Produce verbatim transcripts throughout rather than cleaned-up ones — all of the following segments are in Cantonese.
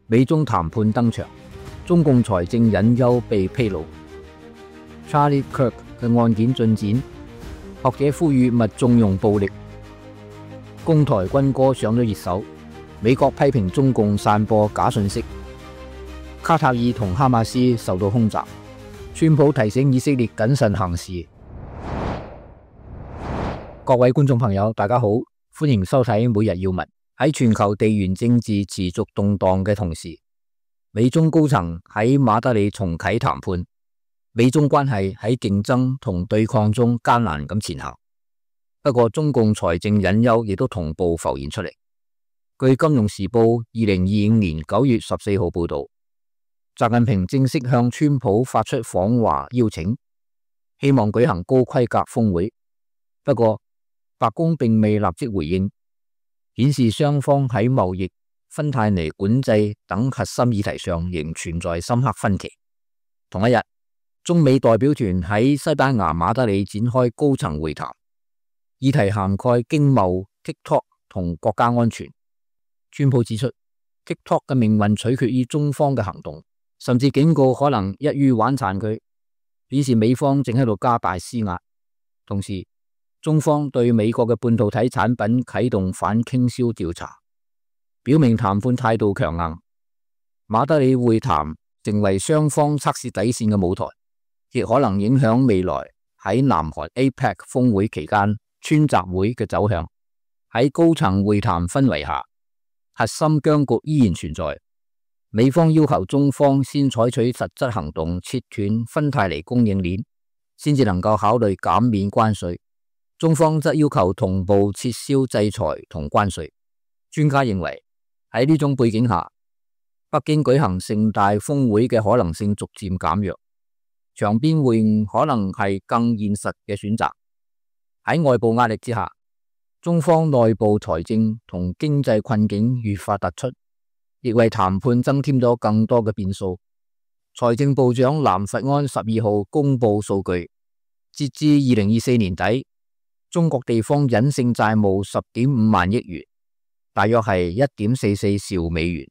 美中談判登場，中共財政隱憂被披露。Charlie Kirk 嘅案件進展，學者呼籲勿縱容暴力。攻台軍歌上咗熱搜，美國批評中共散播假信息。卡塔爾同哈馬斯受到空襲，川普提醒以色列謹慎行事。各位觀眾朋友，大家好，歡迎收睇每日要聞。喺全球地緣政治持續動盪嘅同時，美中高層喺馬德里重啟談判，美中關係喺競爭同對抗中艱難咁前行。不過，中共財政隱憂亦都同步浮現出嚟。據《金融時報》二零二五年九月十四號報道，習近平正式向川普發出訪華邀請，希望舉行高規格峰會。不過，白宮並未立即回應，顯示雙方喺貿易、芬太尼管制等核心議題上仍存在深刻分歧。同一日，中美代表團喺西班牙馬德里展開高層會談，議題涵蓋經貿、TikTok 同國家安全。川普指出 ，TikTok 嘅命運取決於中方嘅行動，甚至警告可能一於玩殘佢，表示美方正喺度加大施壓。同時，中方對美國嘅半導體產品啟動反傾銷調查，表明談判態度強硬。馬德里會談成為雙方測試底線嘅舞台，亦可能影響未來喺南韓 A P E C 峰會期間川習會嘅走向。喺高層會談氛圍下，核心僵局依然存在。美方要求中方先採取實質行動，切斷芬太尼供應鏈，先至能夠考慮減免關稅。中方則要求同步撤銷制裁同關稅。專家認為喺呢種背景下，北京舉行盛大峰會嘅可能性逐漸減弱，場邊會晤可能係更現實嘅選擇。喺外部壓力之下，中方內部財政同經濟困境越發突出，亦為談判增添咗更多嘅變數。財政部長藍佛安十二號公布數據，截至二零二四年底，中國地方隱性債務十點五萬億元，大約係一點四四兆美元；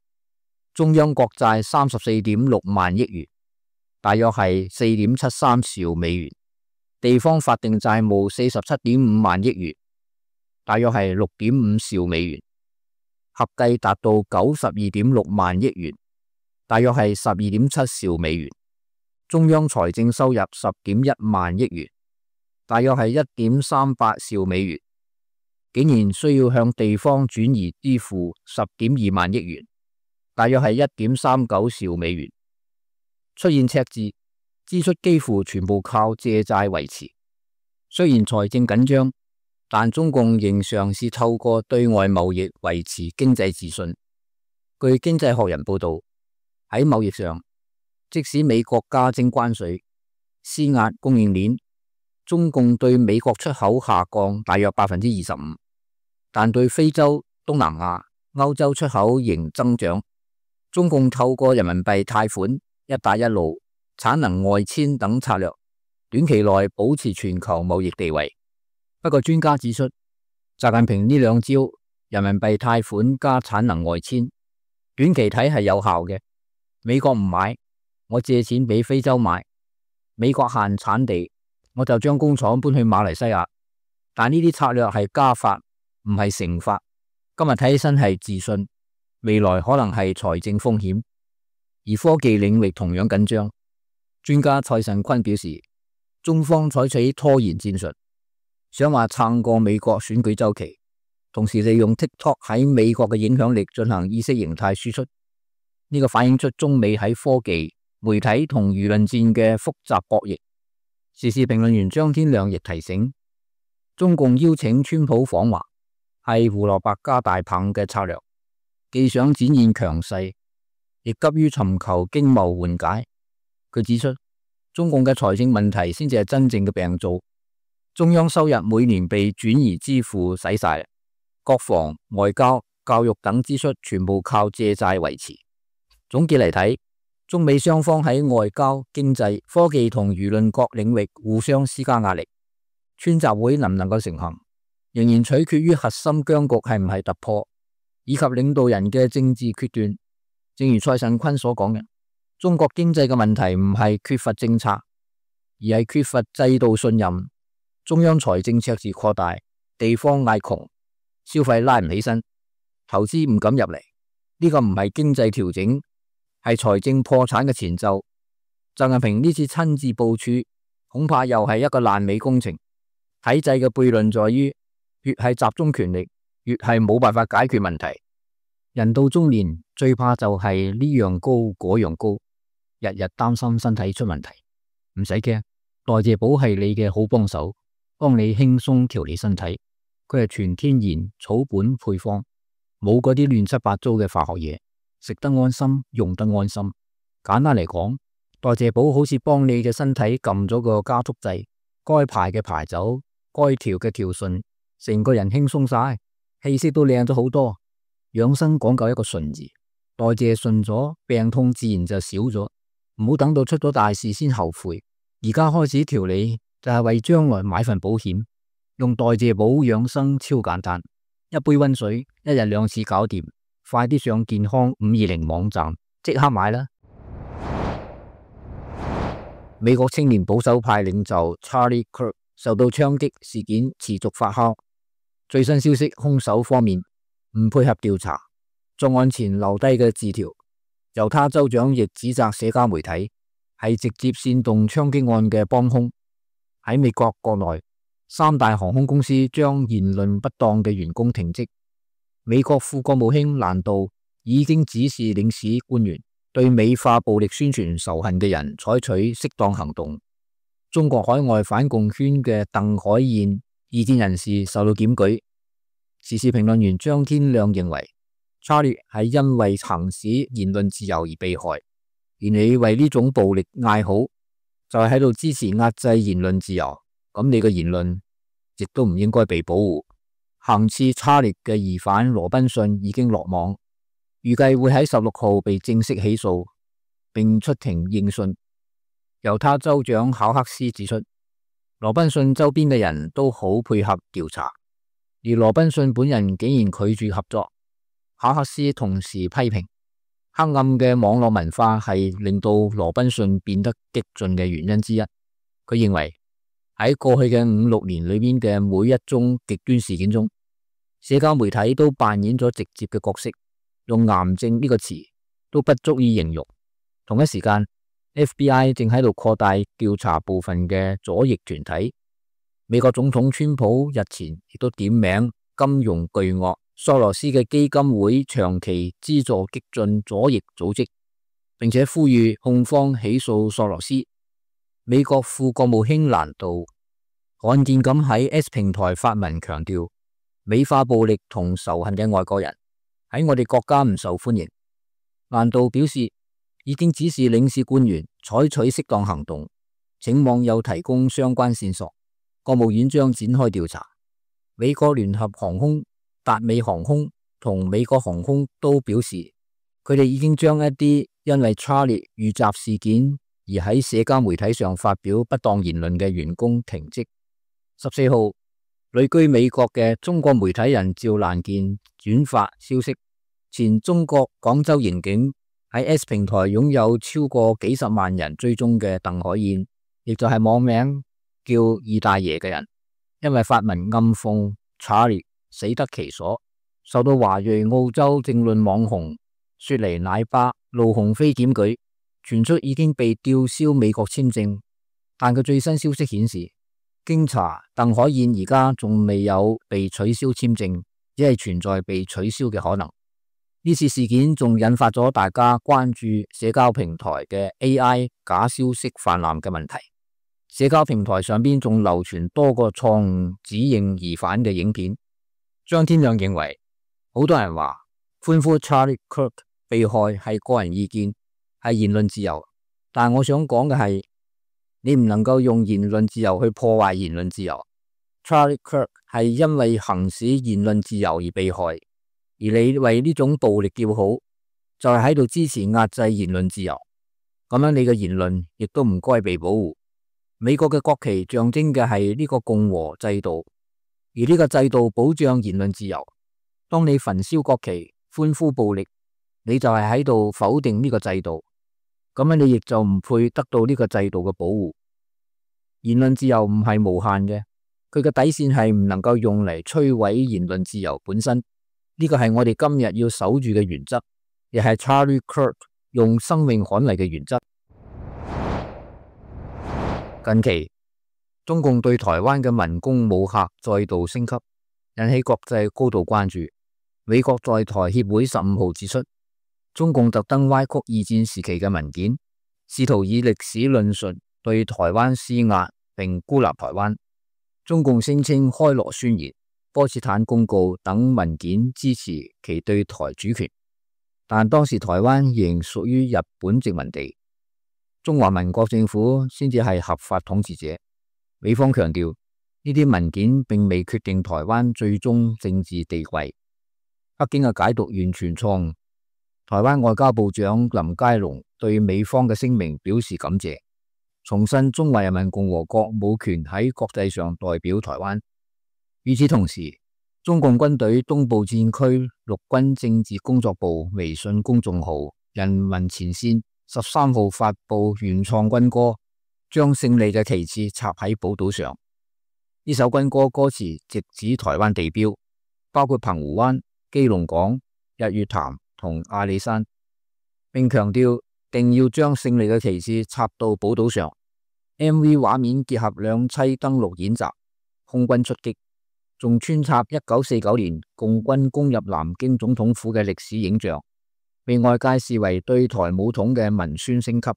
中央國債三十四點六萬億元，大約係四點七三兆美元；地方法定債務四十七點五萬億元，大約係六點五兆美元，合計達到九十二點六萬億元，大約係十二點七兆美元；中央財政收入十點一萬億元，大約係一點三八兆美元，竟然需要向地方轉移支付十點二萬億元，大約係一點三九兆美元。出現赤字，支出幾乎全部靠借債維持。雖然財政緊張，但中共仍嘗試透過對外貿易維持經濟自信。據經濟學人報道，喺貿易上，即使美國加徵關稅，施壓供應鏈，中共對美國出口下降大約百分之二十五，但對非洲、東南亞、歐洲出口仍增長。中共透過人民幣貸款、一帶一路、產能外遷等策略，短期內保持全球貿易地位。不過專家指出，習近平呢兩招人民幣貸款加產能外遷，短期睇係有效嘅。美國唔買，我借錢俾非洲買；美國限產地，我就將工廠搬去馬來西亞。但呢啲策略係加法，唔係乘法。今日睇起身係自信，未來可能係財政風險。而科技領域同樣緊張。專家蔡慎坤表示，中方採取拖延戰術，想話撐過美國選舉週期，同時利用 TikTok 喺美國嘅影響力進行意識形態輸出。呢、這個反映出中美喺科技、媒體同輿論戰嘅複雜博弈。時事評論員張天亮亦提醒，中共邀請川普訪華係胡蘿蔔加大棒嘅策略，既想展現強勢，亦急於尋求經貿緩解。佢指出，中共嘅財政問題先至係真正嘅病灶，中央收入每年被轉移支付使晒，國防、外交、教育等支出全部靠借債維持。總結嚟睇，中美雙方喺外交、經濟、科技同輿論各領域互相施加壓力。川習會能唔能夠成行，仍然取決於核心僵局係唔係突破，以及領導人嘅政治決斷。正如蔡慎坤所講嘅，中國經濟嘅問題唔係缺乏政策，而係缺乏制度信任。中央財政赤字擴大，地方嗌窮，消費拉唔起身，投資唔敢入嚟。呢個唔係經濟調整，係財政破產嘅前奏。習近平呢次親自部署，恐怕又係一個爛尾工程。體制嘅悖論在於，越係集中權力，越係冇辦法解決問題。人到中年最怕就係呢樣高嗰樣高，日日擔心身體出問題。唔使驚，代謝寶係你嘅好幫手，幫你輕鬆調理身體。佢係全天然草本配方，冇嗰啲亂七八糟嘅化學嘢，食得安心，用得安心。簡單嚟講，代謝寶好似幫你嘅身體撳咗個加速掣，該排嘅排走，該調嘅調順，成個人輕鬆晒，氣色都靚咗好多。養生講究一個順字，代謝順咗，病痛自然就少咗。唔好等到出咗大事先後悔，而家開始調理就係為將來買份保險。用代謝寶養生超簡單，一杯溫水，一日兩次搞掂。快啲上健康五二零網站即刻買啦！美國青年保守派領袖 Charlie Kirk 受到槍擊事件持續發酵，最新消息，兇手方面唔配合調查，作案前留低嘅字條。猶他州長亦指責社交媒體係直接煽動槍擊案嘅幫兇。喺美國國內，三大航空公司將言論不當嘅員工停職。美國副國務卿蘭道已經指示領事官員對美化暴力宣傳仇恨嘅人採取適當行動。中國海外反共圈嘅鄧海燕異見人士受到檢舉。時事評論員張天亮認為，Charlie 係因為行使言論自由而被害，而你為呢種暴力嗌好，就係喺度支持壓制言論自由，咁你嘅言論亦都唔應該被保護。行刺 Charlie 嘅疑犯羅賓遜已經落網，預計會喺十六號被正式起訴並出庭應訊。猶他州長考克斯指出，羅賓遜周邊嘅人都好配合調查，而羅賓遜本人竟然拒絕合作。考克斯同時批評黑暗嘅網絡文化係令到羅賓遜變得激進嘅原因之一。佢認為喺過去嘅五六年裏邊嘅每一宗極端事件中，社交媒體都扮演咗直接嘅角色，用癌症呢個詞都不足以形容。同一時間 F B I 正喺度擴大調查部分嘅左翼團體。美國總統川普日前亦都點名金融巨鱷索羅斯嘅基金會長期資助激進左翼組織，並且呼籲控方起訴索羅斯。美國副國務卿蘭道罕見咁喺 X 平台發文強調，美化暴力同仇恨嘅外國人喺我哋國家唔受歡迎。蘭道表示，已經指示領事官員採取適當行動，請網友提供相關線索，國務院將展開調查。美國聯合航空、達美航空同美國航空都表示，佢哋已經將一啲因為 Charlie 遇襲事件而喺社交媒體上發表不當言論嘅員工停職。十四號，旅居美國嘅中國媒體人趙蘭健轉發消息，前中國廣州刑警喺 S 平台擁有超過幾十萬人追蹤嘅鄧海燕，亦就係網名叫二大爺嘅人，因為發文暗諷 Charlie 死得其所，受到華裔澳洲政論網紅雪梨奶爸路鴻飛檢舉，傳出已經被吊銷美國簽證。但佢最新消息顯示，經查，鄧海燕而家仲未有被取消簽證，只係存在被取消嘅可能。呢次事件仲引發咗大家關注社交平台嘅 A I 假消息泛濫嘅問題。社交平台上邊仲流傳多個錯誤指認疑犯嘅影片。張天亮認為，好多人話歡呼 Charlie Kirk 被害係個人意見，係言論自由，但我想講嘅係，你唔能夠用言論自由去破壞言論自由。Charlie Kirk 係因為行使言論自由而被害，而你為呢種暴力叫好，就係喺度支持壓制言論自由。咁樣你嘅言論亦都唔該被保護。美國嘅國旗象徵嘅係呢個共和制度，而呢個制度保障言論自由。當你焚燒國旗、歡呼暴力，你就係喺度否定呢個制度，咁樣你亦就唔配得到呢個制度嘅保護。言論自由唔係無限嘅，佢嘅底線係唔能夠用嚟摧毀言論自由本身。呢個係我哋今日要守住嘅原則，亦係 Charlie Kirk 用生命捍衛嘅原則。近期，中共對台灣嘅文攻武嚇再度升級，引起國際高度關注。美國在台協會十五號指出，中共特登歪曲二戰時期嘅文件，試圖以歷史論述對台灣施壓並孤立台灣。中共聲稱開羅宣言、波茨坦公告等文件支持其對台主權，但當時台灣仍屬於日本殖民地，中華民國政府先至係合法統治者。美方強調，呢啲文件並未決定台灣最終政治地位。北京嘅解讀完全錯誤。台灣外交部長林佳龍對美方嘅聲明表示感謝，重申中華人民共和國冇權喺國際上代表台灣。與此同時，中共軍隊東部戰區陸軍政治工作部微信公眾號人民前線十三號發布原創軍歌，將勝利嘅旗幟插喺寶島上。呢首軍歌歌詞直指台灣地標，包括澎湖灣、基隆港、日月潭同阿里山，並強調定要將勝利嘅旗幟插到寶島上。M V 畫面結合兩棲登陸演習、空軍出擊，仲穿插一九四九年共軍攻入南京總統府嘅歷史影像，被外界視為對台武統嘅文宣升級。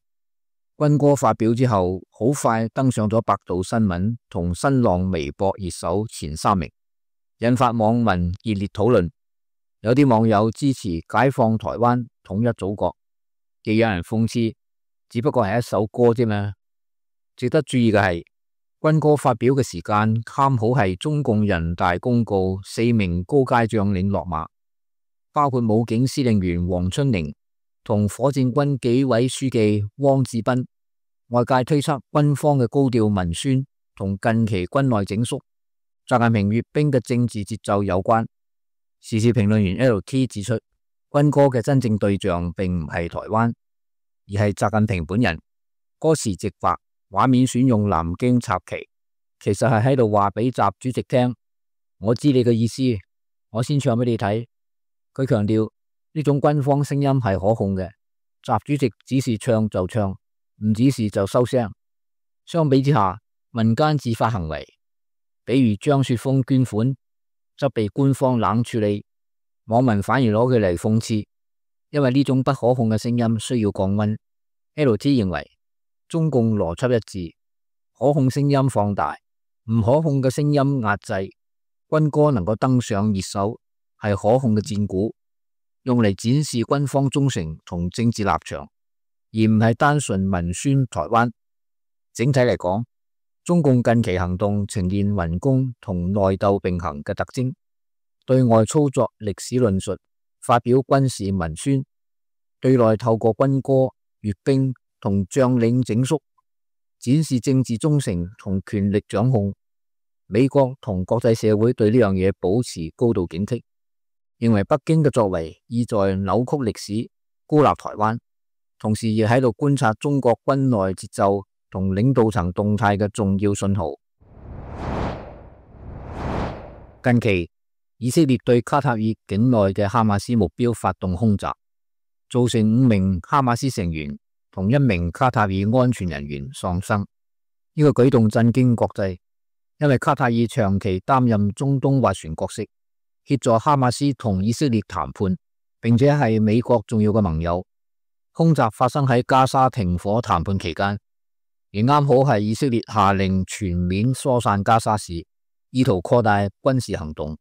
軍歌發表之後，好快登上咗百度新聞同新浪微博熱搜前三名，引發網民熱烈討論。有啲網友支持解放台灣、統一祖國，亦有人諷刺，只不過係一首歌啫嘛。值得注意嘅係，軍歌發表嘅時間啱好係中共人大公告四名高階將領落馬，包括武警司令員黃春寧同火箭軍紀委書記汪志斌。外界推測軍方嘅高調文宣同近期軍內整肅、習近平閱兵嘅政治節奏有關。時事評論員 L T 指出，軍歌嘅真正對象並唔係台灣，而係習近平本人。歌詞直白，畫面選用南京插旗，其實係喺度話俾習主席聽，我知你嘅意思，我先唱俾你睇。佢強調呢種軍方聲音係可控嘅，習主席指示唱就唱，唔指示就收聲。相比之下，民間自發行為，比如張雪峰捐款，則被官方冷處理，網民反而攞佢嚟諷刺，因為呢種不可控嘅聲音需要降溫。L T 認為中共邏輯一致，可控聲音放大，唔可控嘅聲音壓制。軍歌能夠登上熱搜，係可控嘅戰鼓，用嚟展示軍方忠誠同政治立場，而唔係單純文宣台灣。整體嚟講，中共近期行動呈現文攻同內鬥並行嘅特徵，對外操作歷史論述，發表軍事文宣；對內透過軍歌、閱兵同將領整肅，展示政治忠誠同權力掌控。美國同國際社會對呢樣嘢保持高度警惕，認為北京嘅作為意在扭曲歷史、孤立台灣，同時亦喺度觀察中國軍內節奏同領導層動態嘅重要信號。近期，以色列對卡塔爾境內嘅哈馬斯目標發動空襲，造成五名哈馬斯成員同一名卡塔爾安全人員喪生。呢個舉動震驚國際，因為卡塔爾長期擔任中東斡旋角色，協助哈馬斯同以色列談判，並且係美國重要嘅盟友。空襲發生喺加沙停火談判期間，而啱好係以色列下令全面疏散加沙市，意圖擴大軍事行動。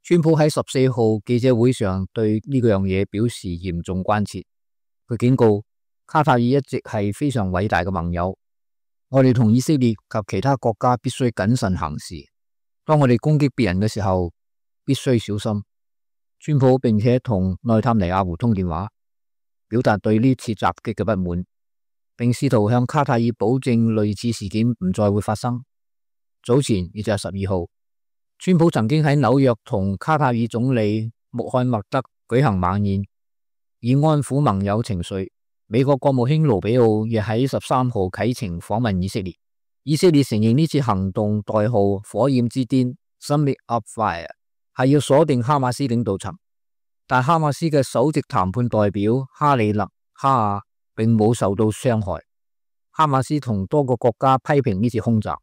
川普喺十四號記者會上對呢個樣嘢表示嚴重關切，佢警告卡塔爾一直係非常偉大嘅盟友，我哋同以色列及其他國家必須謹慎行事，當我哋攻擊別人嘅時候必須小心。川普並且同內塔尼亞胡通電話，表達對呢次襲擊嘅不滿，並試圖向卡塔爾保證類似事件唔再會發生。早前亦就係十二號，川普曾經喺紐約同卡塔爾總理穆罕默德舉行晚宴，以安撫盟友情緒，美國國務卿盧比奧亦喺十三號啟程訪問以色列。以色列承認呢次行動代號火焰之巔 Summit of Fire 係要鎖定哈馬斯領導層，但哈馬斯嘅首席談判代表哈里勒哈亞並冇受到傷害。哈馬斯同多個國家批評呢次空襲，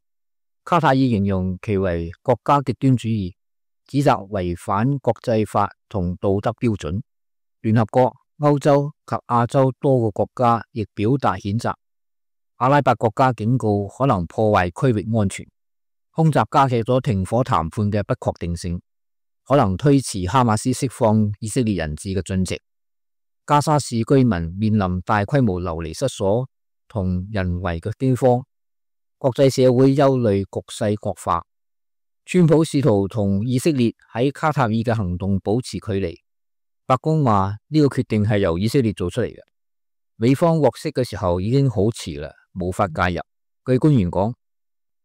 卡塔爾形容其為國家極端主義，指責違反國際法同道德標準。聯合國、歐洲及亞洲多個國家亦表達譴責。阿拉伯國家警告可能破壞區域安全。空襲加劇咗停火談判嘅不確定性，可能推遲哈馬斯釋放以色列人質嘅進程。加沙市居民面臨大規模流離失所同人為嘅饑荒，國際社會憂慮局勢惡化。川普試圖同以色列喺卡塔爾嘅行動保持距離。白宮話呢個決定係由以色列做出嚟嘅，美方獲悉嘅時候已經好遲啦，無法介入。據官員講，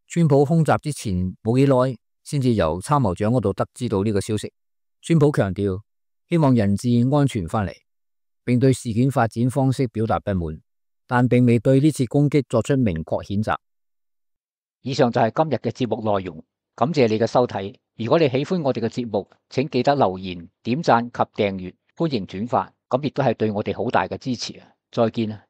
川普空襲之前冇幾耐，先至由參謀長嗰度得知到呢個消息。川普強調希望人質安全返嚟，並對事件發展方式表達不滿，但並未對呢次攻擊作出明確譴責。以上就係今日嘅節目內容，感謝你嘅收睇。如果你喜歡我哋嘅節目，請記得留言、點讚及訂閱，歡迎轉發，咁亦都係對我哋好大嘅支持啊！再見啊！